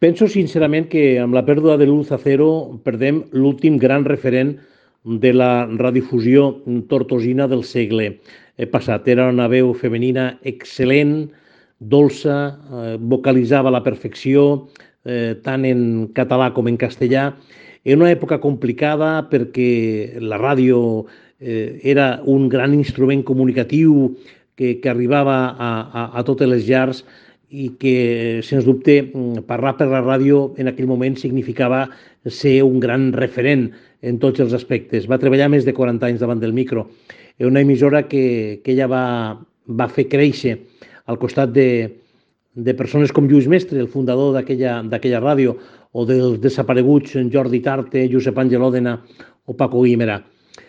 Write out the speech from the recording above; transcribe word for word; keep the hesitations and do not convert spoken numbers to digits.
Penso sincerament que amb la pèrdua de l'Luz Acero perdem l'últim gran referent de la radiodifusió tortosina del segle passat. Era una veu femenina excel·lent, dolça, eh, vocalitzava a la perfecció, eh, tant en català com en castellà. En una època complicada perquè la ràdio eh, era un gran instrument comunicatiu que, que arribava a, a, a totes les llars i que, sens dubte, parlar per la ràdio en aquell moment significava ser un gran referent en tots els aspectes. Va treballar més de quaranta anys davant del micro. És una emissora que, que ella va, va fer créixer al costat de, de persones com Lluís Mestre, el fundador d'aquella ràdio, o dels desapareguts Jordi Tarte, Josep Àngel Òdena o Paco Guimerà.